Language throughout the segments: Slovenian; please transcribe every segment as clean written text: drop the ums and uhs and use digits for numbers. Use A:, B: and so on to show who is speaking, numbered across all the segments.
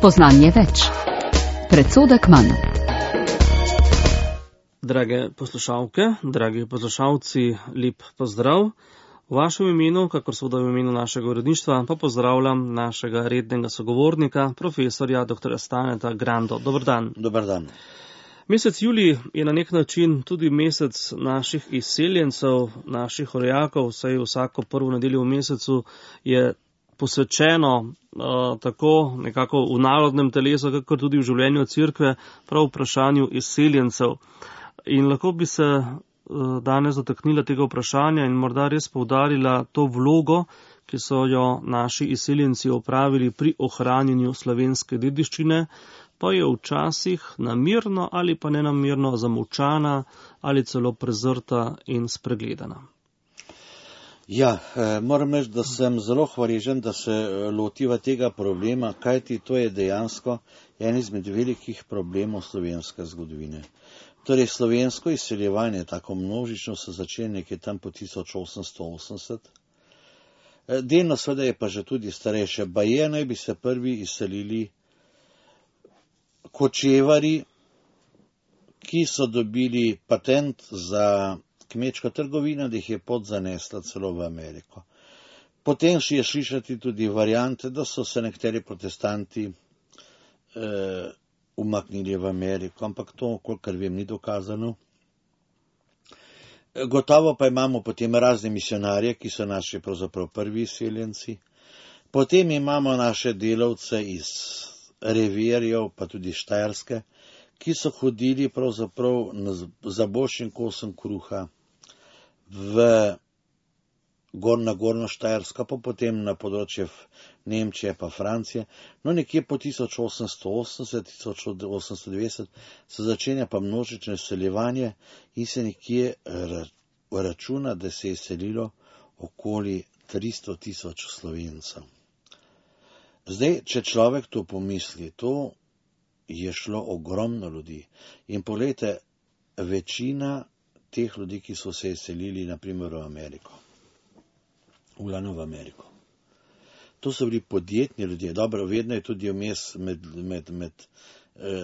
A: Spoznanje več. Predsodek manj.
B: Drage poslušalke, dragi poslušalci, lep pozdrav. V vašem imenu, kakor seveda v imenu našega uredništva, pa pozdravljam našega rednega sogovornika, profesorja dr. Staneta Grando. Dober dan.
C: Dober dan.
B: Mesec julij je na nek način tudi mesec naših izseljencev, naših rojakov, saj vsako prvo nedeljo v mesecu je posvečeno tako nekako v narodnem telesu, kakor tudi v življenju cerkve, prav vprašanju izseljencev. In lahko bi se danes dotaknila tega vprašanja in morda res poudarila to vlogo, ki so jo naši izseljenci opravili pri ohranjanju slovenske dediščine, pa je včasih namerno ali pa nenamerno zamolčana ali celo prezrta in spregledana.
C: Ja, moram reči, da sem zelo hvaležen, da se lotiva tega problema, kajti to je dejansko en izmed velikih problemov slovenske zgodovine. Torej, slovensko izseljevanje, tako množično, se začne nekje tam po 1880. Delno seveda je pa že tudi starejše. Baje naj bi se prvi izselili kočevari, ki so dobili patent za kmečko trgovino, da jih je pot zanesla celo v Ameriko. Potem je slišati tudi variante, da so se nekateri protestanti umaknili v Ameriko, ampak to, kolikor vem, ni dokazano. Gotovo pa imamo potem razne misionarje, ki so naši pravzaprav prvi izseljenci. Potem imamo naše delavce iz revirjev, pa tudi Štajerske, ki so hodili pravzaprav za boljšim kosom kruha na Gorno Štajersko, pa potem na področje Nemčije pa Francije. No, nekje po 1880-1890 se začenja pa množično izseljevanje in se nekje računa, da se je selilo okoli 300.000 Slovencev. Zdaj, če človek to pomisli, to je šlo ogromno ljudi. In poglejte, večina teh ljudi, ki so se izselili, naprimer v Ameriko, v Ameriko. To so bili podjetni ljudje. Dobro, vedno je tudi vmes med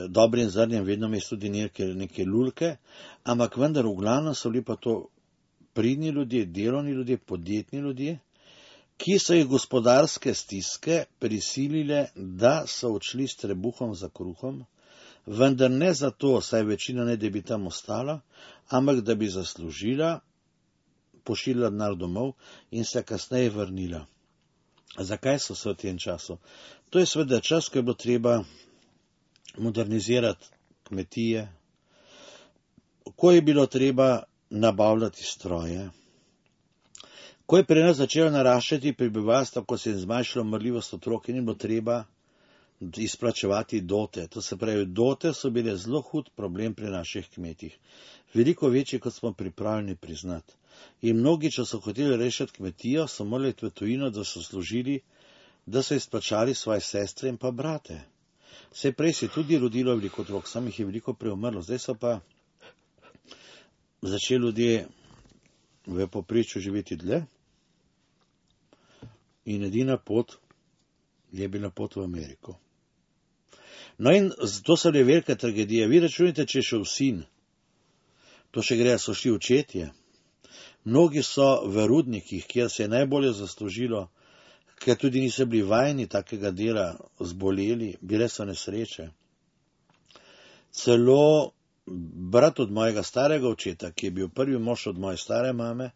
C: dobrim zrnjem, vedno vmes tudi neke lulke, ampak vendar v glavnem so bili pa to pridni ljudje, delovni ljudje, podjetni ljudje, ki so jih gospodarske stiske prisilile, da so odšli s trebuhom za kruhom, vendar ne zato, saj večina ne, da bi tam ostala, ampak da bi zaslužila, pošiljala denar domov in se kasneje vrnila. Zakaj so se v tem času? To je seveda čas, ko je bilo treba modernizirati kmetije, ko je bilo treba nabavljati stroje, ko je pri nas začelo naraščati prebivalstvo, ko se je zmanjšala umrljivost otrok in je bilo treba izplačevati dote. To se pravi, dote so bile zelo hud problem pri naših kmetih. Veliko večji, kot smo pripravljeni priznati. In mnogi, če so hoteli rešiti kmetijo, so morali v tujino, da so služili, da so izplačali svoje sestre in pa brate. Vse prej se je tudi rodilo veliko otrok, sam jih je veliko preumrlo. Zdaj so pa začeli ljudje v povprečju živeti dlje in edina pot je bila pot v Ameriko. No in to so bile velike tragedije. Vi računite, če je šel sin, to še gre, so šli očetje. Mnogi so v rudnikih, kjer se je najbolje zaslužilo, ker tudi niso bili vajeni takega dela, zboleli, bile so nesreče. Celo brat od mojega starega očeta, ki je bil prvi mož od moje stare mame,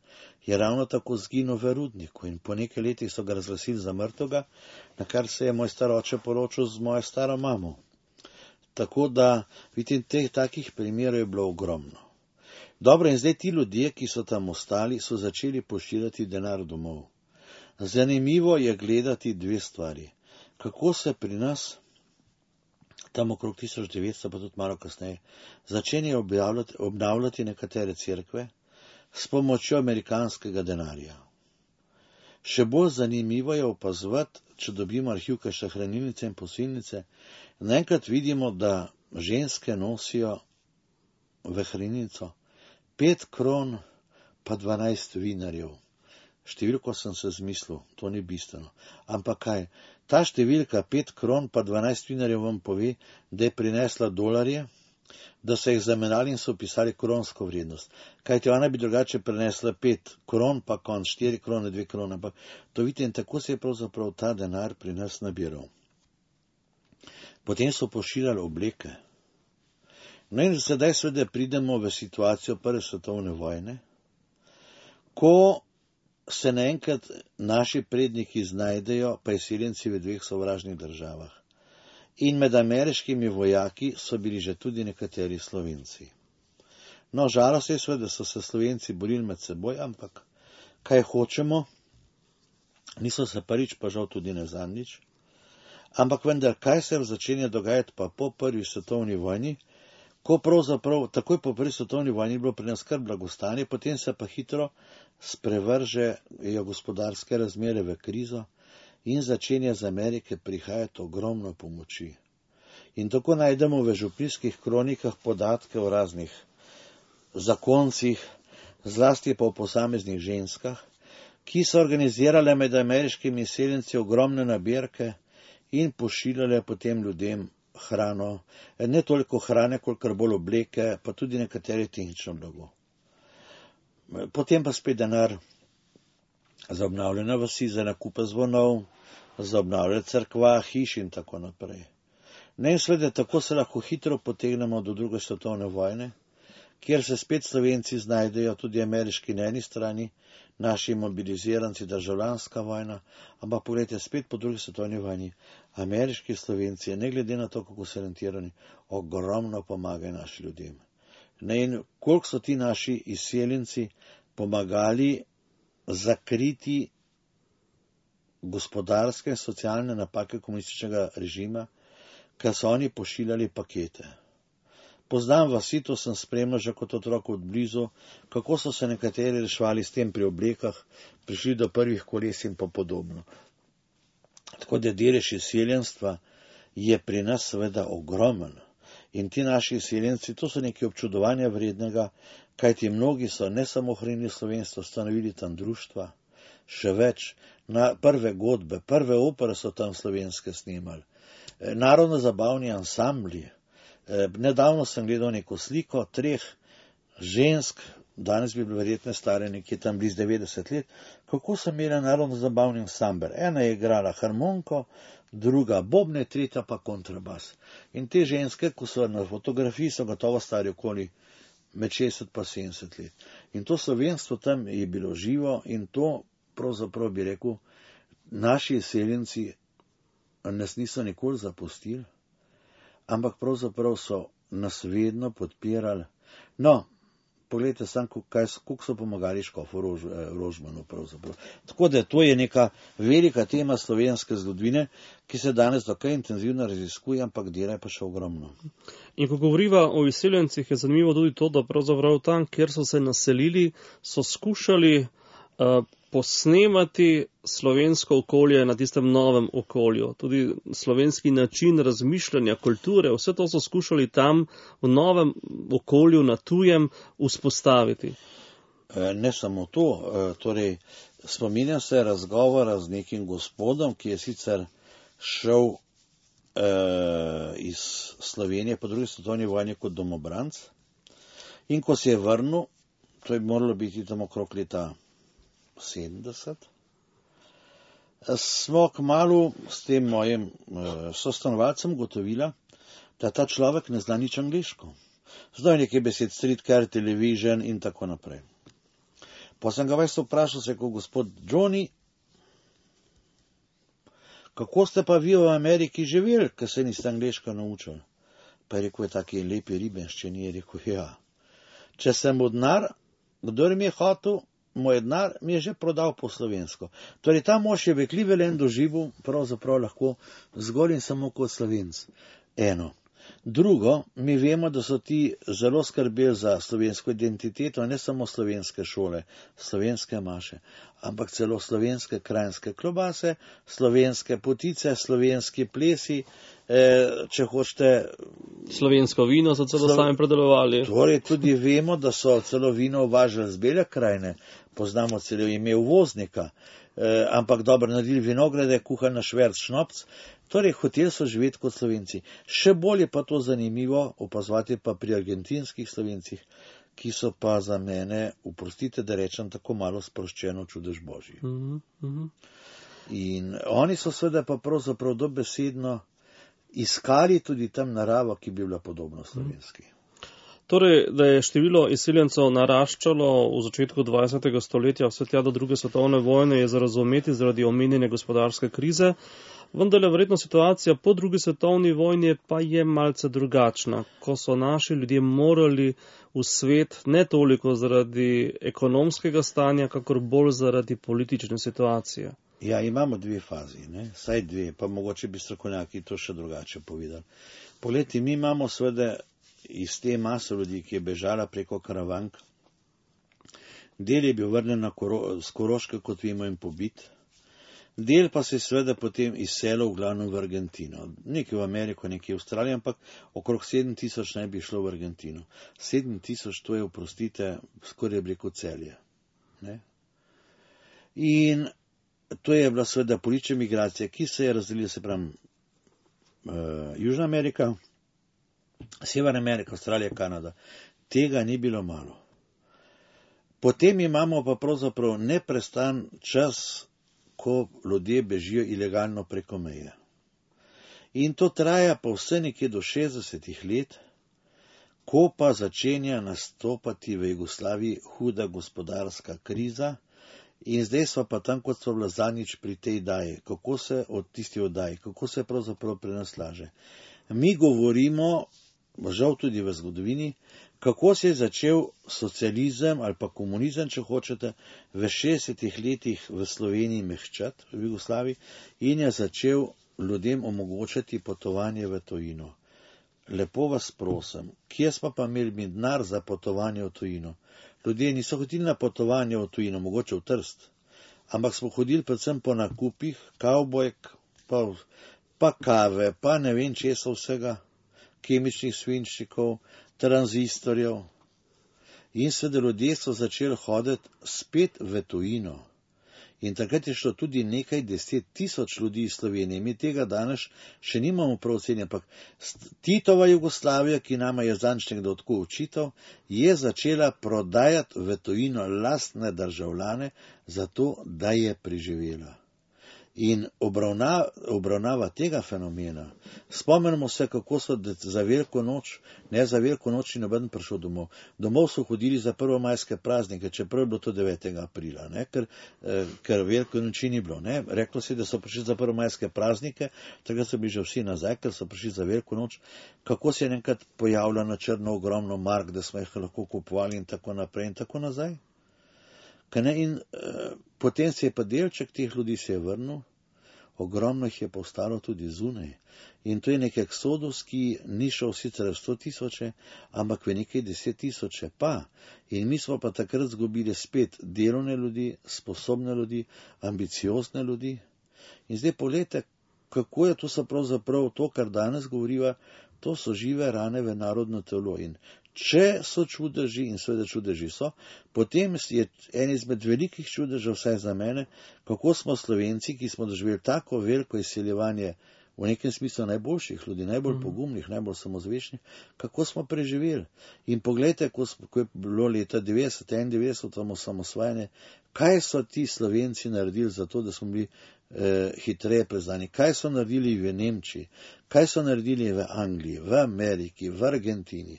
C: je ravno tako zginil v rudniku in po nekaj letih so ga razglasili za mrtvega, na kar se je moj star oče poročil z mojo staro mamo. Tako da, vidite, takih primerov je bilo ogromno. Dobro, in zdaj ti ljudje, ki so tam ostali, so začeli pošiljati denar domov. Zanimivo je gledati dve stvari. Kako se pri nas, tam okrog 1900, pa tudi malo kasneje, začenjajo obnavljati nekatere cerkve s pomočjo amerikanskega denarja. Še bolj zanimivo je opazovati, če dobimo arhiv kakšne hranilnice in posilnice, naenkrat vidimo, da ženske nosijo v hranilnico 5 kron pa 12 vinarjev. Številko sem se zmislil, to ni bistveno. Ampak kaj? Ta številka 5 kron pa 12 vinarjev vam pove, da je prinesla dolarje, da so jih zamenjali in so upisali kronsko vrednost. Kajti ona bi drugače prinesla 5 kron, pa konc 4 krone, 2 krone. Ampak to vidite, in tako se je pravzaprav ta denar pri nas nabiral. Potem so pošiljali obleke. No in sedaj seveda pridemo v situacijo prve svetovne vojne, ko se naenkrat naši predniki znajdejo priseljenci v 2 sovražnih državah. In med ameriškimi vojaki so bili že tudi nekateri Slovenci. No, žalost je seveda, da so se Slovenci borili med seboj, ampak kaj hočemo, niso se prvič, pa žal tudi ne zadnjič. Ampak vendar, kaj se začenja dogajati pa po prvi svetovni vojni, ko pravzaprav takoj po prvi svetovni vojni je bilo pri nas kar blagostanje, potem se pa hitro sprevržejo gospodarske razmere v krizo in začenja z Amerike prihajati ogromno pomoči. In tako najdemo v župnijskih kronikah podatke o raznih zakoncih, zlasti pa o posameznih ženskah, ki so organizirale med ameriškimi izseljenci ogromne nabirke in pošiljale potem ljudem hrano, ne toliko hrane, kolikor bolj obleke, pa tudi nekatere tehnično blago. Potem pa spet denar za obnavljanje vasi, za nakupe zvonov, za obnavljanje cerkva, hiš in tako naprej. Ne, in seveda tako se lahko hitro potegnemo do druge svetovne vojne, kjer se spet Slovenci znajdejo, tudi ameriški na eni strani, naši mobiliziranci, državljanska vojna, ampak pogledajte, spet po drugi svetovni vojni, ameriški Slovenci, ne glede na to, kako so orientirani, ogromno pomagajo našim ljudem. Ne, in koliko so ti naši izseljenci pomagali zakriti gospodarske in socialne napake komunističnega režima, ker so oni pošiljali pakete. Poznam vasi, to sem spremljal že kot otrok od blizu, kako so se nekateri reševali s tem pri oblekah, prišli do prvih koles in pa podobno. Tako da delež izseljenstva je pri nas seveda ogromen. In ti naši izseljenci, to so nekaj občudovanja vrednega, kajti mnogi so ne samo ohranili slovenstvo, ustanovili tam društva, še več, na prve godbe, prve opere so tam slovenske snimali, narodno-zabavni ansambli. Nedavno sem gledal neko sliko 3 žensk, danes bi bile verjetno stare nekje tam blizu 90 let, kako so imeli narodno-zabavni ansambel. Ena je igrala harmoniko, druga bobne, tretja pa kontrabas. In te ženske, ko so na fotografiji, so gotovo stari okoli med 60 pa 70 let. In to slovenstvo tam je bilo živo in to pravzaprav bi rekel, naši izseljenci nas niso nikoli zapustili, ampak pravzaprav so nas vedno podpirali. No, pogledajte sam, koliko so pomagali škofu Rožmanu pravzaprav. Tako da to je neka velika tema slovenske zgodovine, ki se danes dokaj intenzivno raziskuje, ampak dela je pa še ogromno.
B: In ko govoriva o izseljencih, je zanimivo tudi to, da pravzaprav tam, kjer so se naselili, so skušali posnemati slovensko okolje na tistem novem okolju. Tudi slovenski način razmišljanja, kulture, vse to so skušali tam v novem okolju, na tujem, vzpostaviti.
C: Ne samo to, torej spominjam se razgovora z nekim gospodom, ki je sicer šel iz Slovenije po drugi svetovni vojni kot domobranc in ko se je vrnil, to je moralo biti tam okrog leta 70, smo kmalu s tem mojim sostanovalcem ugotovila, da ta človek ne zna nič angleško. Znal nekaj besed, streetcar, television in tako naprej. Pa sem ga vprašal, se kot gospod Johnny, kako ste pa vi v Ameriki živeli, ker se niste angleško naučili? Pa je rekel, je taki lepi ribenščini, je rekel, ja. Če sem mu denar, kdor mi je hotel, moj denar mi je že prodal po slovensko. Torej, ta mož je v Clevelandu doživel pravzaprav lahko zgolj in samo kot Slovenc. Eno. Drugo, mi vemo, da so ti zelo skrbeli za slovensko identiteto, ne samo slovenske šole, slovenske maše, ampak celo slovenske krajinske klobase, slovenske potice, slovenski plesi, če hočete.
B: Slovensko vino so celo sami predelovali.
C: Torej tudi vemo, da so celo vino uvažali z Bele krajine, poznamo celo ime uvoznika, ampak dobro naredili vinograde, kuhali na šverc šnopc, torej hoteli so živeti kot Slovenci. Še bolj je pa to zanimivo opazovati pa pri argentinskih Slovencih, ki so pa za mene, oprostite, da rečem, tako malo sproščeno čudež Božji. In oni so seveda pa pravzaprav dobesedno iskali tudi tam naravo, ki bi bila podobna slovenski.
B: Torej, da je število izseljencev naraščalo v začetku 20. stoletja, vse tja do druge svetovne vojne, je za razumeti zaradi omenjene gospodarske krize, vendar je verjetno situacija po drugi svetovni vojni pa je malce drugačna, ko so naši ljudje morali v svet ne toliko zaradi ekonomskega stanja, kakor bolj zaradi politične situacije.
C: Ja, imamo dve fazi, ne? Saj dve, pa mogoče bi strokovnjaki to še drugače povedali. Poglejte, mi imamo seveda iz te mase ljudi, ki je bežala preko Karavank. Del je bil vrnen z Koroške, kot vemo, in pobit. Del pa se je seveda potem izselil v glavnem v Argentino. Nekaj v Ameriko, nekaj v Avstralijo, ampak okrog 7000 naj bi šlo v Argentino. 7000, to je, oprostite, skoraj bi rekel Celje. Ne? In to je bila seveda politična migracija, ki se je razdelila, se pravi, Južna Amerika, Severna Amerika, Avstralija, Kanada. Tega ni bilo malo. Potem imamo pa pravzaprav neprestan čas, ko ljudje bežijo ilegalno preko meje. In to traja pa vse nekje do 60 let, ko pa začenja nastopati v Jugoslaviji huda gospodarska kriza. In zdaj smo pa tam, kot smo bila zadnjič pri tej daji, kako se pravzaprav pri nas laže. Mi govorimo, žal tudi v zgodovini, kako se je začel socializem ali pa komunizem, če hočete, v 60 letih v Sloveniji mehčati, v Jugoslaviji, in je začel ljudem omogočati potovanje v tujino. Lepo vas prosim, kje smo pa imeli mi denar za potovanje v tujino? Ljudje niso hodili na potovanje v tujino, mogoče v Trst, ampak smo hodili predvsem po nakupih, kavbojk, pa kave, pa ne vem česa vsega, kemičnih svinčnikov, tranzistorjev. In seveda ljudje so začeli hoditi spet v tujino. In takrat je šlo tudi nekaj 10 000 ljudi iz Slovenije. Mi tega danes še nimamo prav ocenjeno, ampak Titova Jugoslavija, ki nama je zadnjič nekdo tako očital, je začela prodajati v tujino lastne državljane, zato da je preživela. In obravnava tega fenomena, spomnimo se, kako so za Veliko noč, ne za Veliko noč in noben prišel domov. Domov so hodili za prvomajske praznike, čeprav je bilo to 9. aprila, ne? Ker Veliko noči ni bilo. Ne? Reklo se, da so prišli za prvomajske praznike, takrat so bili že vsi nazaj, ker so prišli za Veliko noč. Kako se je enkrat pojavila na črno ogromno mark, da smo jih lahko kupovali in tako naprej in tako nazaj. In potem se je pa delček teh ljudi se je vrnil, ogromno jih je pa ostalo tudi zunaj. In to je nek eksodus, ki ni šel sicer v 100 000, ampak v nekaj 10 000 pa. In mi smo pa takrat zgubili spet delovne ljudi, sposobne ljudi, ambiciozne ljudi. In zdaj pogledajte, kako je to so pravzaprav to, kar danes govoriva, to so žive rane v narodno telo. In če so čudeži, in seveda čudeži so, potem je en izmed velikih čudežev, vsaj za mene, kako smo Slovenci, ki smo doživeli tako veliko izseljevanje, v nekem smislu najboljših ljudi, najbolj pogumnih, najbolj samozaveščnih, kako smo preživeli. In pogledajte, ko je bilo leta 91 osamosvajanje, kaj so ti Slovenci naredili za to, da smo bili hitreje preznani, kaj so naredili v Nemčiji, kaj so naredili v Angliji, v Ameriki, v Argentini.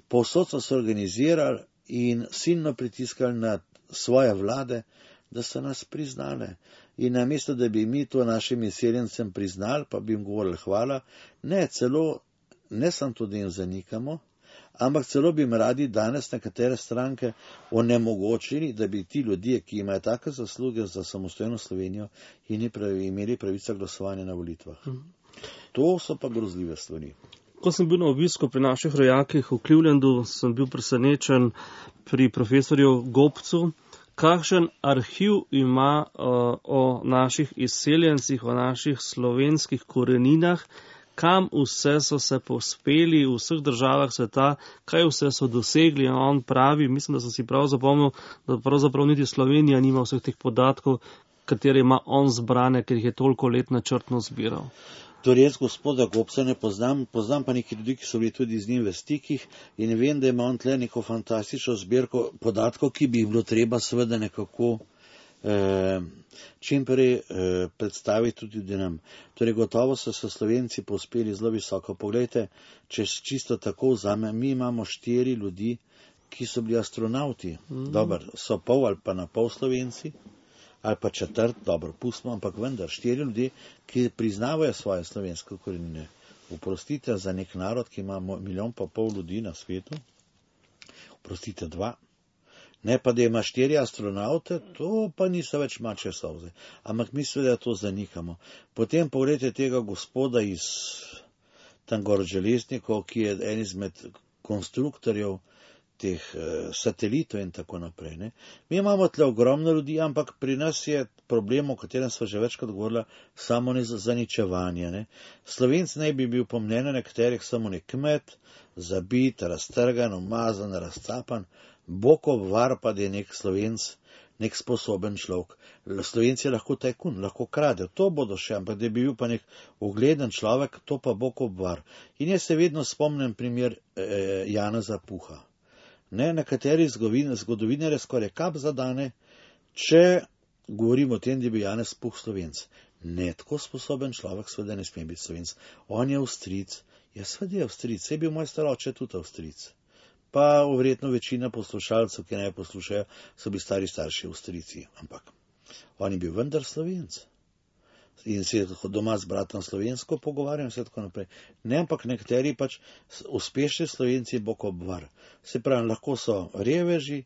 C: Povsod so se organizirali in silno pritiskali na svoje vlade, da so nas priznale. In namesto, da bi mi to našim izseljencem priznali, pa bi jim govorili hvala, ne samo to, da jim zanikamo, ampak celo bi jim radi danes nekatere stranke onemogočili, da bi ti ljudje, ki imajo take zasluge za samostojno Slovenijo, imeli pravico glasovanja na volitvah. To so pa grozljive stvari.
B: Ko sem bil na obisku pri naših rojakih v Clevelandu, sem bil presenečen pri profesorju Gobcu, kakšen arhiv ima o naših izseljencih, o naših slovenskih koreninah, kam vse so se povzpeli v vseh državah sveta, kaj vse so dosegli. In on pravi, mislim, da sem si prav zapomnil, da pravzaprav niti Slovenija nima vseh teh podatkov, katere ima on zbrane, ker jih je toliko let načrtno zbiral.
C: To res gospoda Gobca ne poznam pa nekaj ljudi, ki so bili tudi z njim v stikih in vem, da ima on tle neko fantastično zbirko podatkov, ki bi jih bilo treba seveda nekako čim prej predstaviti tudi nam. Torej gotovo so se Slovenci povzpeli zelo visoko. Poglejte, če čisto tako vzame, mi imamo 4 ljudi, ki so bili astronauti. Dobar, so pol ali pa na pol Slovenci, ali pa četrt, dobro, pustimo, ampak vendar 4 ljudi, ki priznavajo svoje slovenske korenine. Oprostite, za nek narod, ki ima 1,5 milijona ljudi na svetu, oprostite 2. Ne pa, da ima 4 astronaute, to pa niso več mačje solze. Ampak mi seveda to zanikamo. Potem pogledajte tega gospoda iz tam gor železnikov, ki je en izmed konstruktorjev teh satelitov in tako naprej. Ne. Mi imamo tle ogromno ljudi, ampak pri nas je problem, o katerem smo že večkrat govorili, samo zaničevanje. Ne. Slovenc naj bi bil po mnenju nekaterih samo nek kmet, zabit, raztrgan, umazan, razcapan, Bokov var pa, da je nek Slovenc, nek sposoben človek. Slovenci je lahko tajkun, lahko krade, to bodo še, ampak da bi bil pa nek ugleden človek, to pa Bokov var. In jaz se vedno spomnim primer Janeza Puha. Ne, nekateri zgodovinarji skoraj kap zadane, če govorimo o tem, da bi Janez Puh Slovenc. Ne, tako sposoben človek seveda ne sme biti Slovenc. On je Avstrijec. Ja, seveda je Avstrijec, saj je bil moj staroče tudi Avstrijec. Pa verjetno večina poslušalcev, ki naj poslušajo, so bili stari starši Avstrijci. Ampak on je bil vendar Slovenc. In se je doma z bratom slovensko pogovarjam, vse tako naprej. Ne, ampak nekateri pač uspešni Slovenci Bokov var. Se pravi, lahko so reveži,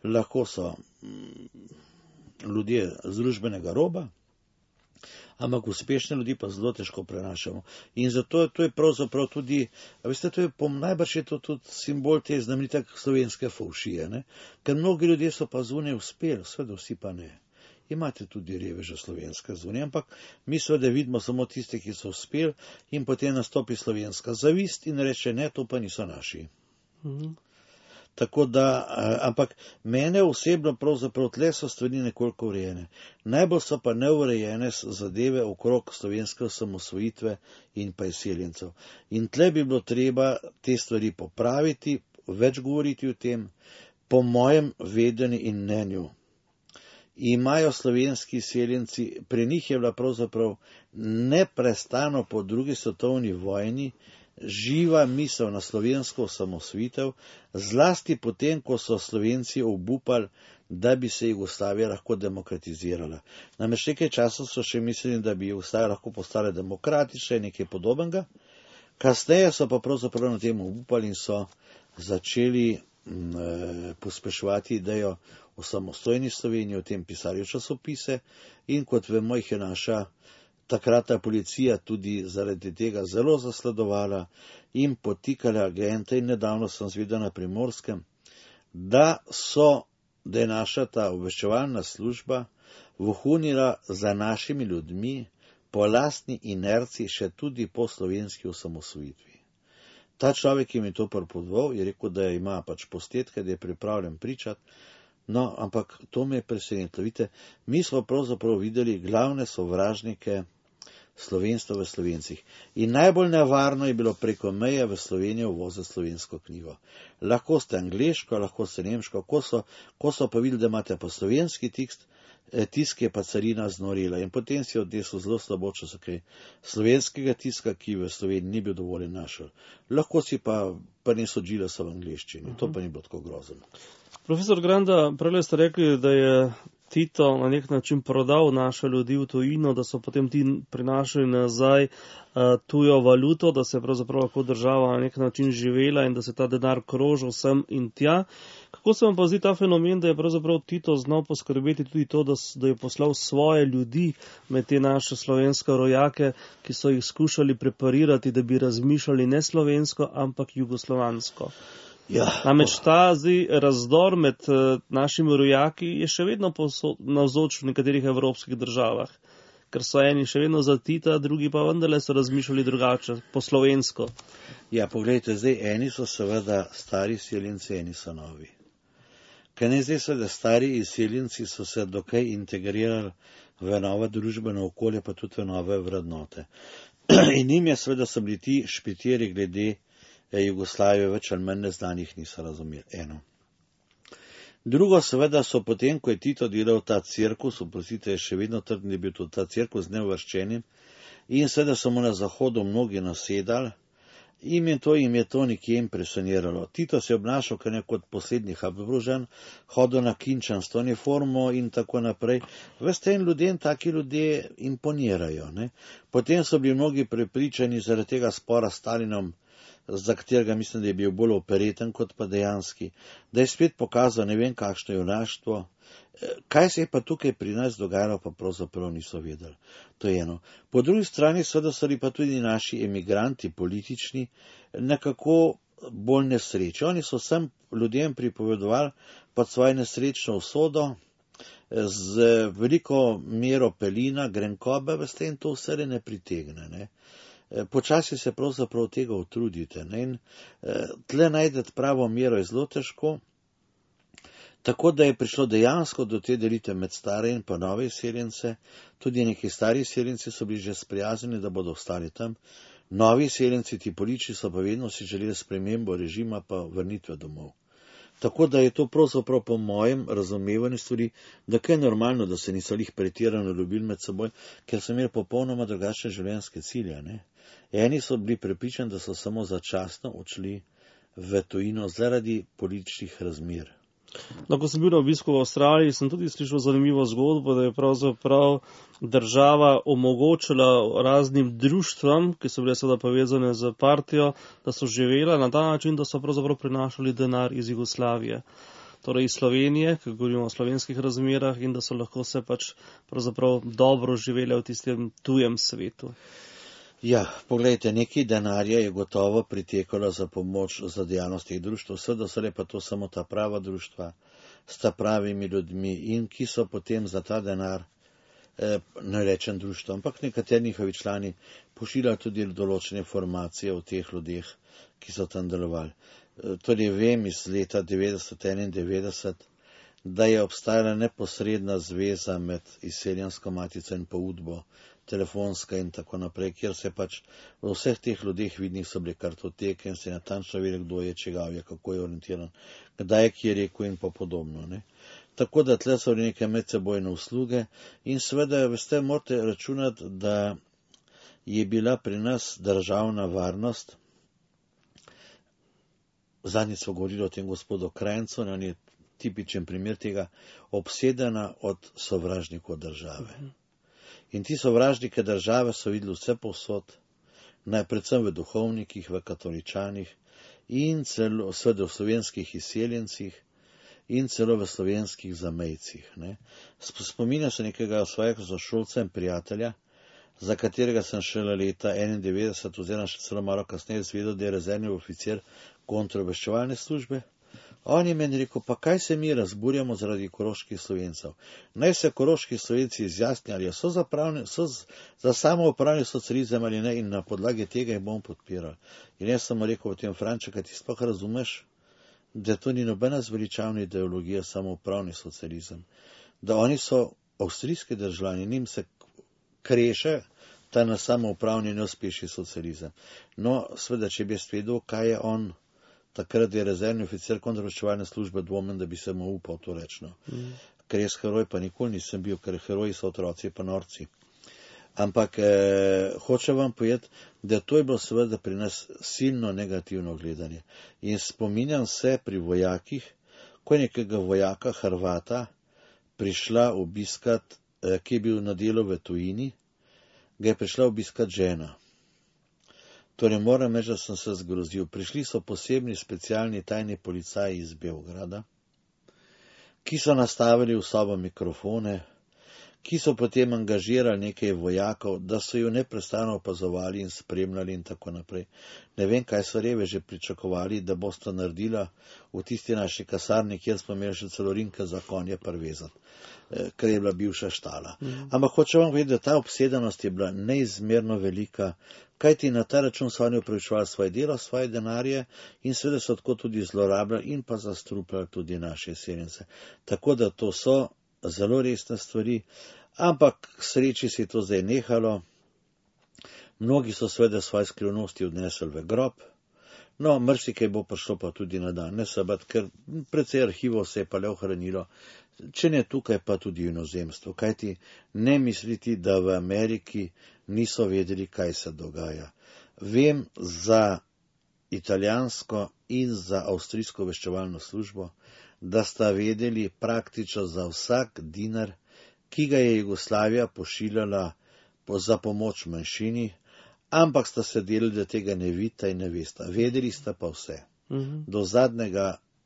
C: lahko so ljudje z družbenega roba, ampak uspešne ljudi pa zelo težko prenašamo. In zato to je pravzaprav tudi, veste, to je najbrž je to tudi simbol te znamenite slovenske fovšije, ne? Ker mnogi ljudje so pa zunaj uspeli, seveda vsi pa ne. Imate tudi reveže slovenske zunaj, ampak mi seveda vidimo samo tiste, ki so uspeli in potem nastopi slovenska zavist in reče, ne, to pa niso naši. Tako da, ampak mene osebno pravzaprav tle so stvari nekoliko urejene. Najbolj so pa neurejene zadeve okrog slovenske osamosvojitve in pa izseljencev. In tle bi bilo treba te stvari popraviti, več govoriti o tem, po mojem vedenju in mnenju. Imajo slovenski izseljenci, pri njih je bila pravzaprav neprestano po 2. svetovni vojni živa misel na slovensko osamosvojitev, zlasti potem, ko so Slovenci obupali, da bi se Jugoslavija lahko demokratizirala. Namreč nekaj časa so še mislili, da bi Jugoslavija lahko postala demokratična in nekaj podobnega. Kasneje so pa pravzaprav na tem obupali in so začeli pospeševati idejo o samostojni Sloveniji, o tem pisali časopise in kot vemo, jih je naša takratna policija tudi zaradi tega zelo zasledovala in potikala agente in nedavno sem zvedel na Primorskem, da je naša ta obveščevalna služba vohunila za našimi ljudmi po lastni inerciji še tudi po slovenski osamosvojitvi. Ta človek, ki mi to pripovedoval, je rekel, da ima pač posnetke, da je pripravljen pričati. No, ampak to me je presenetilo. Vidite, mi smo pravzaprav videli glavne sovražnike slovenstva v Slovencih. In najbolj nevarno je bilo preko meje v Slovenijo uvoziti slovensko knjigo. Lahko ste angleško, lahko ste nemško, ko so pa videli, da imate pa slovenski tisk je pa carina znorila. In potem si odnesel zelo slabo, če so kaj slovenskega tiska, ki v Sloveniji ni bil dovoljen našel. Lahko si pa prinesel Gillesa v angleščini. To pa ni bilo tako grozno.
B: Profesor Granda, prej ste rekli, da je Tito na nek način prodal naše ljudi v tujino, da so potem ti prinašali nazaj tujo valuto, da se je pravzaprav lahko država na nek način živela in da se ta denar krožil sem in tja. Kako se vam pa zdi ta fenomen, da je pravzaprav Tito znal poskrbeti tudi to, da je poslal svoje ljudi med te naše slovenske rojake, ki so jih skušali preparirati, da bi razmišljali ne slovensko, ampak jugoslovansko?
C: Ja.
B: Namreč ta razdor med našimi rojaki je še vedno navzoč v nekaterih evropskih državah, ker so eni še vedno za Tita, drugi pa vendarle so razmišljali drugače, po slovensko.
C: Ja, poglejte, zdaj eni so seveda stari izseljenci, eni so novi. Ker ne zdaj seveda stari izseljenci so se dokaj integrirali v nova družbena okolja, pa tudi v nove vrednote. In njim je seveda so bili ti špitiri glede Jugoslavije več ali manj neznanih, niso razumeli. Eno. Drugo, seveda so potem, ko je Tito delal ta cirkus, oprostite, je še vedno trdni bil tudi ta cirkus z neuvrščenim, in seveda so mu na Zahodu mnogi nasedali, jim je to nekje impresioniralo. Tito se je obnašal kot poslednji Habsburžan, hodil na kinčansko uniformo in tako naprej. Veste, in ljudem taki ljudje imponirajo. Ne? Potem so bili mnogi prepričani zaradi tega spora s Stalinom, za katerega mislim, da je bil bolj opereten kot pa dejanski, da je spet pokazal ne vem kakšno junaštvo. Kaj se je pa tukaj pri nas dogajalo, pa pravzaprav niso vedeli. To je eno. Po drugi strani seveda so pa tudi naši emigranti politični nekako bolj nesreči. Oni so vsem ljudem pripovedovali pod svojo nesrečno usodo, z veliko mero pelina, grenkobe, veste, in to vse ne pritegne. Ne? Počasi se pravzaprav tega utrudite. Ne? In tle najdete pravo mero je zelo težko. Tako da je prišlo dejansko do te delitve med stare in pa nove izseljence. Tudi neki stari izseljenci so bili že sprijaznjeni, da bodo ostali tam. Novi izseljenci, ti politični, so pa vedno si želeli spremembo režima pa vrnitve domov. Tako da je to pravzaprav po mojem razumevanju stvari, da kaj je normalno, da se niso lih pretirano ljubili med seboj, ker so imeli popolnoma drugačne življenjske cilje. Ne? Eni so bili prepričani, da so samo začasno odšli v tujino zaradi političnih razmer.
B: No, ko sem bil na obisku v Avstraliji, sem tudi slišal zanimivo zgodbo, da je pravzaprav država omogočila raznim društvom, ki so bile seveda povezane z partijo, da so živela na ta način, da so pravzaprav prinašali denar iz Jugoslavije. Torej iz Slovenije, ki govorimo o slovenskih razmerah, in da so lahko se pač pravzaprav dobro živele v tistem tujem svetu.
C: Ja, poglejte, nekaj denarja je gotovo pritekalo za pomoč za dejavnost teh društv, seveda so pa to samo ta prava društva s ta pravimi ljudmi in ki so potem za ta denar, ne rečem društvo, ampak nekateri njihovi člani pošiljali tudi določene informacije o teh ljudeh, ki so tam delovali. Torej vem iz leta 1991, da je obstajala neposredna zveza med izseljensko matico in pa Udbo, telefonska in tako naprej, kjer se pač v vseh teh ljudeh vidnih so bile kartoteke in se natančno vedeli, kdo je čigav, kako je orientiran, kdaj je kje rekel in pa podobno. Ne. Tako da tle so neke medsebojne usluge in seveda, veste, morate računati, da je bila pri nas državna varnost, zadnjič smo govorili o tem gospodu Krajncu, on je tipičen primer tega, obsedena od sovražnikov države. In ti sovražnike države so videli vse povsod, predvsem v duhovnikih, v katoličanih in celo seveda v slovenskih izseljencih in celo v slovenskih zamejcih. Spominjam se nekega svojega sošolca in prijatelja, za katerega sem šele leta 1991 oziroma še celo malo kasneje izvedel, da je rezervni oficir kontraobveščevalne službe. On je meni rekel, pa kaj se mi razburjamo zaradi koroških Slovencev? Naj se koroški Slovenci izjasni, ali so za samoupravni socializem ali ne, in na podlagi tega jih bom podpiral. In jaz sem mu rekel, v tem Franček, ti sploh razumeš, da to ni nobena zveličavna ideologija samoupravni socializem. Da oni so avstrijski državljani, njim se kreše ta na samoupravni neuspešni socializem. No, seveda, če bi jaz vedel, kaj je on, takrat je rezervni oficir kontraobveščevalne službe, dvomim, da bi se mu upal to reči. Ker jaz heroj pa nikoli nisem bil, ker heroji so otroci pa norci. Ampak hočem vam povedati, da to je bilo seveda pri nas silno negativno gledanje. In spominjam se pri vojakih, ko je nekega vojaka Hrvata prišla obiskat, ki je bil na delu v tujini, ga je prišla obiskat žena. Torej moram reči, da sem se zgrozil. Prišli so posebni specialni tajni policaji iz Beograda, ki so nastavili v sobo mikrofone, ki so potem angažirali nekaj vojakov, da so jo neprestano opazovali in spremljali in tako naprej. Ne vem, kaj so reveži pričakovali, da bosta naredila v tisti naši kasarni, kjer smo imeli še celo rinke za konje prvezati, ker je bila bivša štala. Ampak hočem vam vedeti, da ta obsedenost je bila neizmerno velika, kajti na ta račun so oni upravičevali svoje delo, svoje denarje in seveda so tako tudi zlorabljali in pa zastrupljali tudi naše izseljence. Tako da to so zelo resne stvari, ampak k sreči se je to zdaj nehalo. Mnogi so seveda svoje skrivnosti odnesli v grob, no, marsikaj bo prišlo pa tudi na dan, ne sabat, ker precej arhivov se je pa le ohranilo, če ne tukaj, pa tudi v inozemstvu, kajti ne misliti, da v Ameriki niso vedeli, kaj se dogaja. Vem za italijansko in za avstrijsko obveščevalno službo, da sta vedeli praktično za vsak dinar, ki ga je Jugoslavija pošiljala za pomoč manjšini, ampak sta se delali, da tega ne vidita in ne vesta. Vedeli sta pa vse.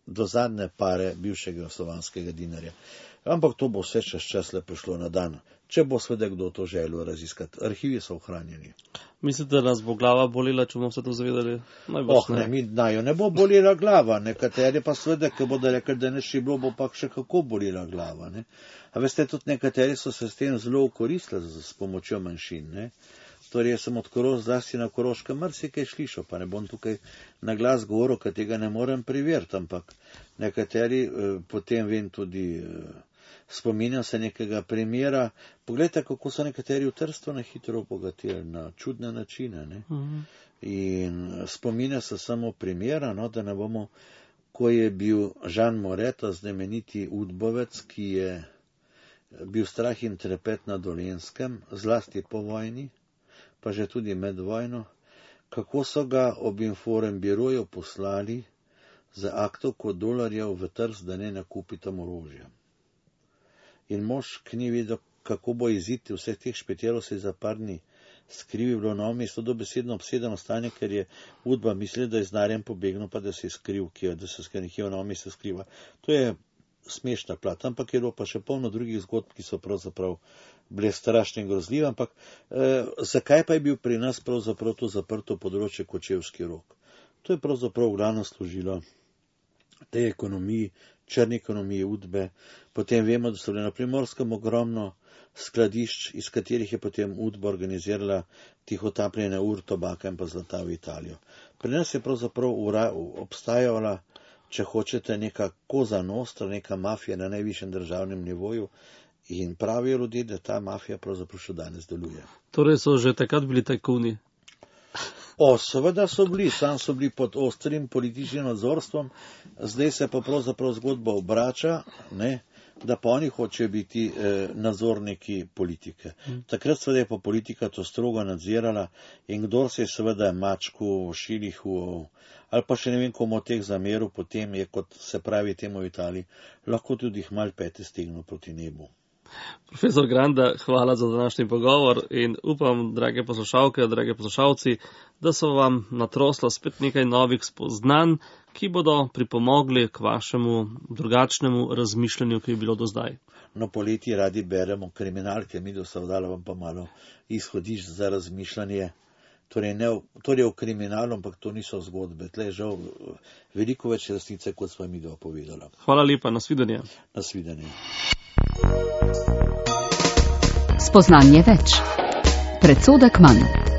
C: Do zadnje pare bivšega slovanskega dinarja. Ampak to bo vse čez čas le prišlo na dan, če bo seveda kdo to želel raziskati. Arhivi so ohranjeni.
B: Mislite, da nas bo glava bolela, če bomo se to zavedali?
C: Ne bo bolela glava, nekateri pa seveda, ki bodo rekli, da ne šiblo, bo pa še kako bolela glava. Ne? A veste, tudi nekateri so se s tem zelo okoristili s pomočjo manjšin. Ne? Torej, jaz sem od zlasti na Koroškem marsikaj slišal, pa ne bom tukaj na glas govoril, ker tega ne morem preveriti, ampak nekateri, potem vem tudi, spominjam se nekega primera, poglejte, kako so nekateri v Trstu na hitro obogatili, na čudne načine, ne. In spominjam se samo primera, no, da ne bomo, ko je bil Jean Moreto, znameniti udbovec, ki je bil strah in trepet na Dolenjskem, zlasti po vojni, pa že tudi med vojno, kako so ga ob Inform biroju poslali za aktovko dolarjev v Trst, da ne nakupi tam orožja. In mož, ki ni vedel, kako bo iziti vseh teh špetelov, se je za par dni skrivil, bilo na mesto dobesedno obsedeno stanje, ker je udba mislil, da je z denarjem pobegnil, pa da se je skril, da se nekje v novo mesto skriva. To je smešna plat, ampak je bilo pa še polno drugih zgodb, ki so pravzaprav bile strašne in grozljive, ampak zakaj pa je bil pri nas pravzaprav to zaprto področje Kočevski Rog? To je pravzaprav v glavnem služilo tej ekonomiji, črni ekonomiji udbe. Potem vemo, da so bile na Primorskem ogromno skladišč, iz katerih je potem udba organizirala tihotapljenje tobaka in pa zlata v Italijo. Pri nas je pravzaprav obstajala, če hočete, neka koza nostra, neka mafija na najvišjem državnem nivoju in pravijo ljudje, da ta mafija pravzaprav še danes deluje.
B: Torej so že takrat bili tajkuni?
C: Seveda so bili, sam so bili pod ostrim političnim nadzorstvom, zdaj se pa pravzaprav zgodba obrača, ne, da pa oni hočejo biti nadzorniki politike. Takrat seveda je pa politika to strogo nadzirala in kdor se je seveda mačku, šilihu ali pa še ne vem komu od teh zameril, potem je, kot se pravi temu v Italiji, lahko tudi hmal pete stegnil proti nebu.
B: Profesor Granda, hvala za današnji pogovor in upam, drage poslušalke, drage poslušalci, da so vam natrosla spet nekaj novih spoznanj, ki bodo pripomogli k vašemu drugačnemu razmišljanju, ki je bilo do zdaj.
C: No, poleti radi beremo kriminalke, mi do savdala vam pa malo izhodišč za razmišljanje. Torej v kriminalu, ampak to niso zgodbe. Tle je žal veliko več resnice, kot smo mi dopovedala.
B: Hvala lepa, nasvidenje.
C: Nasvidenje.
A: Spoznanje več. Predsodek manj.